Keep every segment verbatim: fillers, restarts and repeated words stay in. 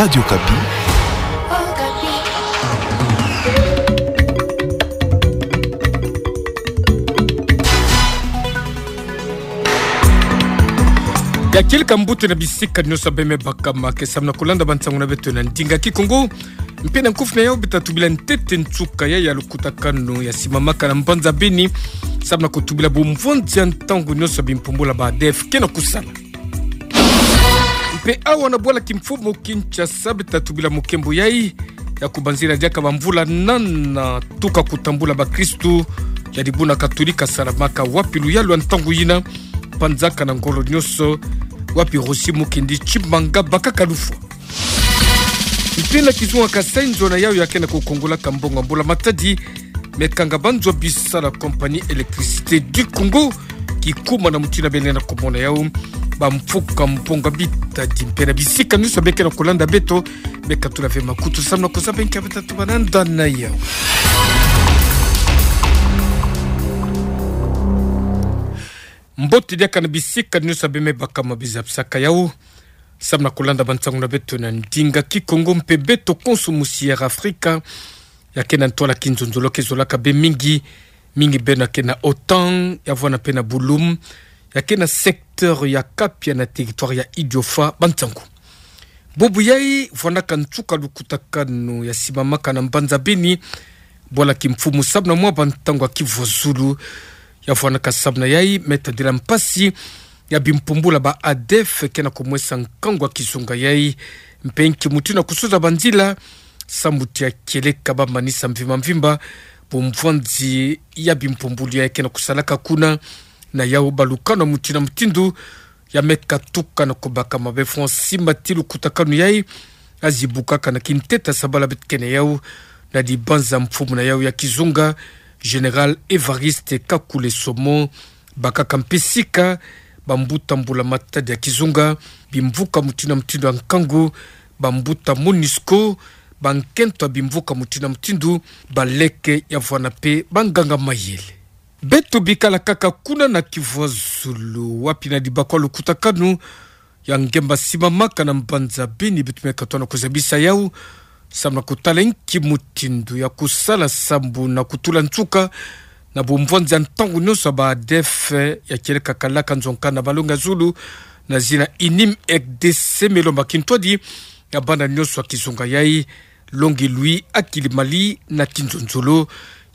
Radio Okapi. Ya kieleka mbuta na bisika nyonso beme bakama ke samu na kulanda bansangu na beto na ndinga Kikongo. Mpe na nkufi na yau beta tubila ntete nsuka ya ya lukutakanu ya simamaka na mbanza Beni, samu na kutubila bumvwanzi ya ntangu nyonso bimpumbulu ba ADF ke na kusala. Mpe awa na bwala kimfumu Kinshasa beta tubila mukembo yai ya kubanzila diaka bamvula nana tuka kutambula bakristu ya dibundu katolika salamaka wapi luyalu ya ntangu yina, panzaka na ngolo nyonso, wapi Rossy Mukendi Tshimanga bakaka lufwa. Mpe na kizunga Kasaï, nzo na yau ya ke na kukongolaka mbongo ya mbula matadi me kanga banzo bisala Compagnie Électricité du Congo, kikuma na mutindu bele na komona yau, bamfuka mbongo bitadi. Mpe na bisika nyonso beke na kulanda beto, beka tula ve makutu samu na kuzaba nkia beta tubananda na yau. Mbote diaka na bisika nyonso beme bakama biza bisaka yau samu na kulanda bansangu na beto na ndinga Kikongo. Mpe beto konso musi ya Afrika, ya ke na ntwala kinzonzolo ke zolaka be mingi, mingi beno ya ke na OTAN, ya vwanda mpe na Bouloum, ya ke na secteur ya Kapia na territoire ya Idiofa, bansangu. Bubu yai vwandaka nsuka lukutakanu ya simamaka na mbanza Beni, bwala kimfumu samu na mwa bantangu ya kivwazulu, ya vwandaka samu na yai me tadila mpasi ya bimpumbulu ba ADF ke na kumwesa nkangu ya kizunga yai, mpe nki mutindu ya kusuza banzila, samu ti ya kieleka bamanisa mvimba mvimba bumvwanzi ya bimpumbulu yai ke na kusalaka kuna, na yau balukanu ya mutindu na mutindu ya me katuka na kubakama be fwa. Nsimba ti lukutakanu yai, ya zibukaka na kintete ya sabala beto ke na yau, na dibanza mfumu na yau ya kizunga, Général Évariste Kakule Somo, bakaka mpe sika bambuta mbula matadi ya kizunga, bimvuka mutindu na mutindu ya nkangu, bambuta MONUSCO, bankento ya bimvuka mutindu na mutindu, baleke ya vwanda mpe banganga mayele. Beto bikala kaka kuna na kivwazulu, wapi na dibakwa lukutakanu ya ngemba simamaka na mbanza Beni, beto me katona kuzabisa yau samu na kutala nki mutindu ya kusala samu na kutula nsuka na bumvwanzi ya ntangu nyonso ba ADF, ya kieleka kalaka nzonka na malongi ya zulu, na zina UNIM, RDC, me lomba kintwadi ya bana nyonso ya kizunga yai, longi lui akili mali na kinzonzolo.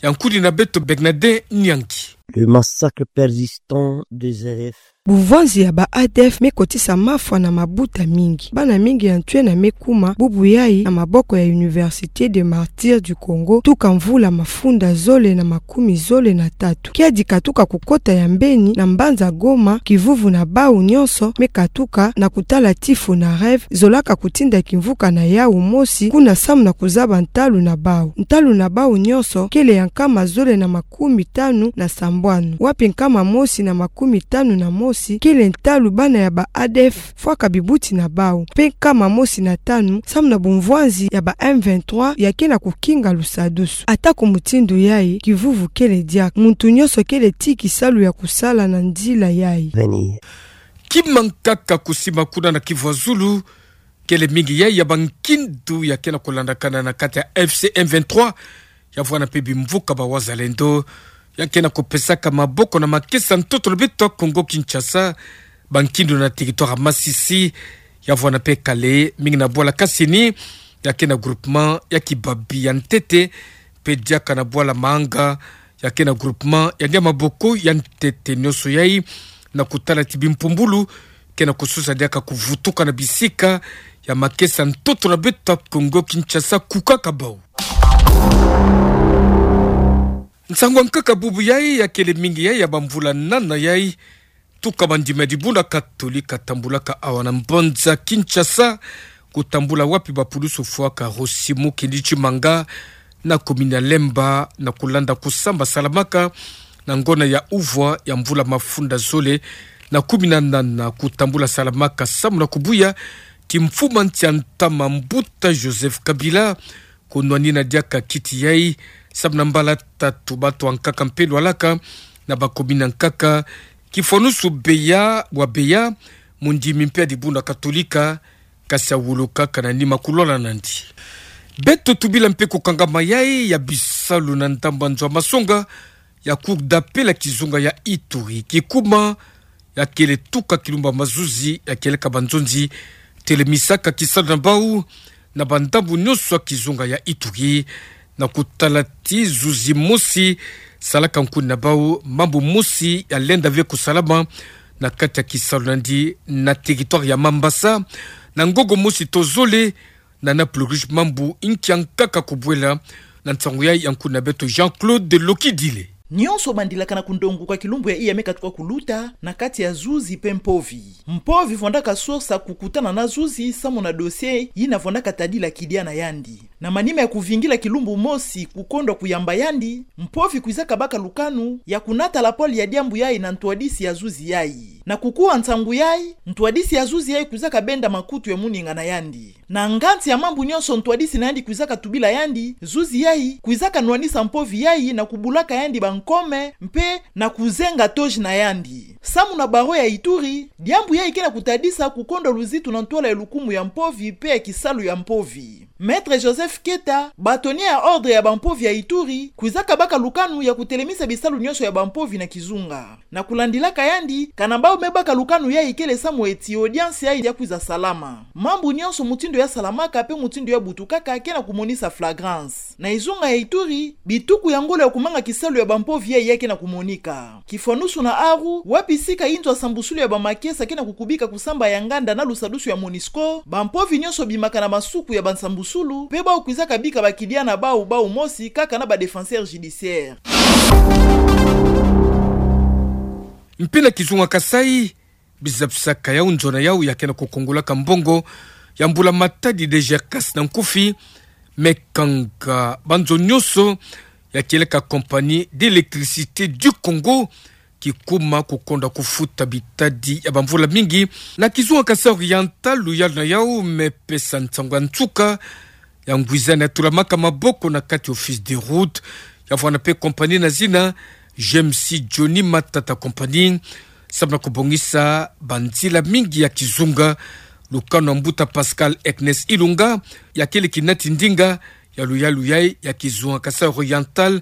Ya nkudi na beto Bernadin Nyangi. Le massacre persistant des ADF. Bumvwanzi ya ba ADF me kotisa mafwa na mabuta mingi. Bana mingi ya ntwena me kuma bubu yai na maboko ya Université des Martyrs du Congo, tuka mvula mafunda zole na makumi zole na tatu. Kiadi katuka kukota ya mbeni na mbanza Goma, kivuvu na bau nyonso me katuka na kutala ti FONAREV, zolaka kutinda kimvuka na yau mosi kuna samu na kuzaba ntalu na bau. Ntalu na bau nyonso kele ya nkama zole na makumi tanu na sambwanu, wapi nkama mosi na makumi tanu na mosi kele ntalu bana ya ba ADF fwaka bibuti na bau, mpe nkama mosi na tanu samu na bumvwanzi ya ba M vingt-trois ya ke na kukinga lusadusu. Ata ku mutindu yai, kivuvu kele diaka, muntu nyonso kele ti kisalu ya kusala na nzila yai. Kima nkaka kusimba kuna na kivwazulu, kele mingi yai ya bankindu ya ke na kulandakana na kati ya AFC M vingt-trois, ya vwanda mpe bimvuka ba Wazalendo, ya ke na kupesaka maboko na makesa ntoto na beto ya Congo Kinshasa, bankindu na territoire ya Masisi, ya vwanda mpe Kale, mingi na bwala Kasini, ya ke na groupement ya Kibabi ya ntete, mpe diaka na bwala Maanga, ya ke na groupement ya Niamaboko ya ntete. Nyonso yai na kutala ti bimpumbulu ke na kususa diaka kuvutuka na bisika ya makesa ntoto na beto ya Congo Kinshasa, kukaka bau. Nsangu ya nkaka bubu yai ya kele mingi yai ya bamvula nana yai, tuka bandima ya dibundu katolika tambulaka awa na mbanza Kinshasa, kutambula wapi bapulusu fwaka Rossy Mukendi Tshimanga na commune ya Lemba, na kulanda kusamba salamaka na ngona ya uvwa ya mvula mafunda zole na kumi na nana, kutambula salamaka samu na kubuya ti mfumu ya nsi ya ntama, mbuta Joseph Kabila, kunwanina diaka kiti yai, samu na mbala tatu. Bato ya nkaka mpe lwalaka na ba commune ya nkaka, kifwanusu Beya, wa Beya, mundimi mpe ya dibundu katolika, Kasi awulu kaka na nima kulwala nandi. Beto tubila mpe kukangama yayi ya bisalu na ndambu ya nzo ya masonga ya Cour d'appel ya kizunga ya Ituri, kikuma ya kele tuka kilumbu ya mazuzi ya kieleka banzonzi telemisaka kisalu na bau na bandambu nyonso ya kizunga ya Ituri, na kutalati zuzi mosi salaka nkuni na bau mambu mosi ya lenda ve kusalama na kati ya kisalu nandi na territoire ya Mambasa, na ngongo mosi to zole, na na plurush mambu nki ya nkaka kubwela. Na nsangu yayi ya nkuni na beto Jean-Claude Lokidile. Nyonso bandilaka na kundonguka kilumbu ya iya me katuka kuluta na kati ya zuzi mpe mpovi. Mpovi vwandaka sosa kukutana na zuzi samu na dossier yina vwandaka tadila kidia na yandi. Na manima ya kuvingila kilumbu mosi kukondwa kuyamba yandi, mpovi kwizaka baka lukanu ya kunata lapole ya diambu yayi na ntwadisi ya zuzi yayi. Na kukuwa nsangu yayi, ntwadisi ya zuzi yayi kwizaka benda makutu ya moninga na yandi. Na nganzi ya mambu nyonso ntwadisi na yandi kwizaka tubila yandi, zuzi yayi kwizaka nwanisa mpovi yayi na kubulaka yandi bankome mpe na kuzenga toji na yandi. Samu na barreau ya Ituri, diambu yayi ke na kutadisa kukondwa luzitu na ntwala ya lukumu ya mpovi mpe ya kisalu ya mpovi. Maître Joseph Keta, bâtonnier ya ordre ya bampovi ya Ituri, kwizaka baka lukanu ya kutelemisa bisalu nyonso ya bampovi na kizunga. Na kulandilaka yandi, kana bau me baka lukanu yayi kele samu eti audience yayi ya kwiza salama. Mambu nyonso mutindu ya salamaka mpe mutindu ya butukaka ke na kumonisa flagrance. Na ezunga ya Ituri, bituku ya ngolo ya kumanga kisalu ya bampovi yayi ya ke na kumonika. Kifwanusu na aru, wapi sika inzo ya sambusulu ya bamakesa ke na kukubika kusamba ya nganda na lusadusu ya MONUSCO, bampovi nyonso bimaka na masuku ya bansambusulu, mpe bau kwizaka bika bakidia na bau, bau mosi kaka na ba défenseur judiciaire. Mpe na kizunga Kasaï, bizabisaka yau nzo na yau ya ke na kukungulaka mbongo ya mbula matadi D G R CAS na nkufi, me kanga banzo nyonso ya kieleka Compagnie d'Électricité du Congo, kikuma kukondwa kufuta bitadi ya bamvula mingi. Na kizunga Kasaï Oriental, luyalu na yau me pesa nsangu ya nsuka ya ngwizani ya tulamaka maboko na kati Office des Routes, ya vwanda mpe compagnie na zina G M C Johnny Matata Company, samu na kubongisa banzila mingi ya kizunga. Lukanu ya mbuta Pascal Ernest Ilunga, ya kele kinati ndinga ya luyalu yayi ya kizunga Kasaï Oriental,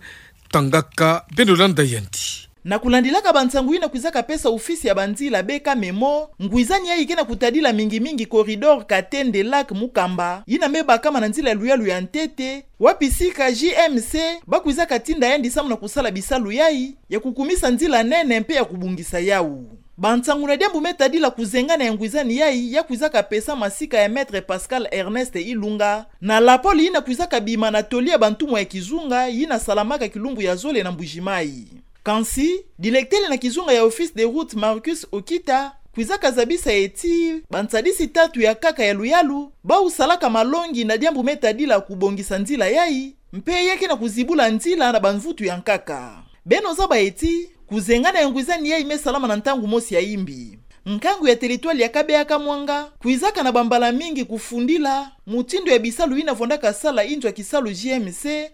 tangaka beno landa yandi. Na kulandilaka bansangu yina kwizaka pesa ofisi ya banzila B K Memo, ngwizani yayi ke na kutadila mingi mingi corridor Katende Lac Mukamba, yina me bakama na nzila ya luyalu ya ntete, wapi sika G M C ba kwizaka tinda yandi samu na kusala bisalu yayi ya kukumisa nzila nene mpe ya kubongisa yau. Bansangu na diambu me tadila kuzengana ya ngwizani yayi ya kwizaka pesama sika ya Maître Pascal Ernest Ilunga, na lapole yina kwizaka bima na toli ya bantumwa ya kizunga yina salamaka kilumbu ya zole na Mbuji-Mayi. Kansi, dilektele na kizunga ya Office des Routes Marcus Okita kwizaka zabisa eti bansadisi tatu ya nkaka ya luyalu bau salaka malongi na diambu me tadila kubongisa nzila yayi, mpe ya ke na kuzibula nzila na bamvutu ya nkaka. Beno zaba eti, kuzengana ya ngwizani yayi me salama na ntangu mosi ya imbi. Nkangu ya territoire ya Kabeya-Kamwanga kwizaka na bambala mingi kufundila mutindu ya bisalu yina vwandaka sala inzo ya kisalu G M C.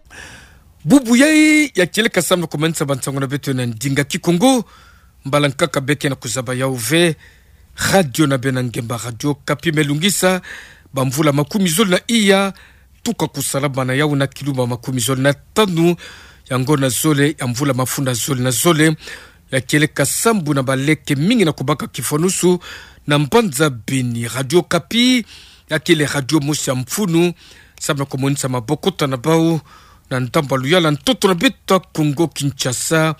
Bubu yayi ya kieleka samu na kumanisa bansangu na beto na ndinga Kikongo. Mbala nkaka beke na kuzaba yau ve, radio na beno ya ngemba Radio Okapi me lungisa bamvula makumi zole na iya, tuka kusalama na yau na kilumbu makumi zole na tanu ya ngonda zole ya mvula mafunda zole na zole, ya kieleka sambu na baleke mingi na kubaka kifwanusu na mbanza Beni. Radio Okapi ya kele radio mosi ya mfunu samu na kumonisa mabokota na bau na ndambu ya luyala ntoto na beto ya Kongo Kinshasa.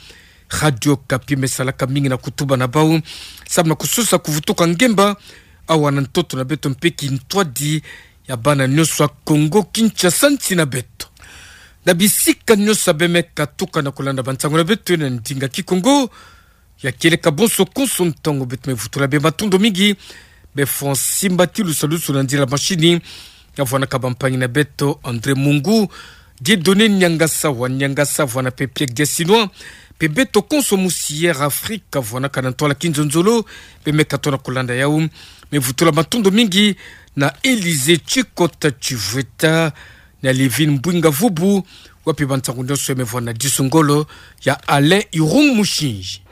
Radio Okapi me salaka mingi na kutuba na bau samu na kusosa kuvutuka ngemba awa na ntoto na beto mpe kintwadi ya bana nyonso ya Kongo Kinshasa, nsi na beto. Na bisika nyonso beno me katuka na kulanda bansangu na beto na ndinga Kikongo, ya kieleka bonso konso ntangu beto me vutula beno matondo mingi. Beno fwa nsimbati lusalusu na nzila mashini, ya vwanaka bampangi na beto André Mungu, Dieudonné Niangasa wa Niangasa, vwana mpe Pierre Diasinois, mpe beto konso musi Air Afrique, vwanaka na ntwala kinzonzolo. Beno me katuka na kulanda yau, me vutula matondo mingi na Élysée Tshikota Tshivweta, na Livine Mbwinga Vubu, wapi bansangu nyonso ya me vwana na disu ngolo ya Alain Irung Mushinji.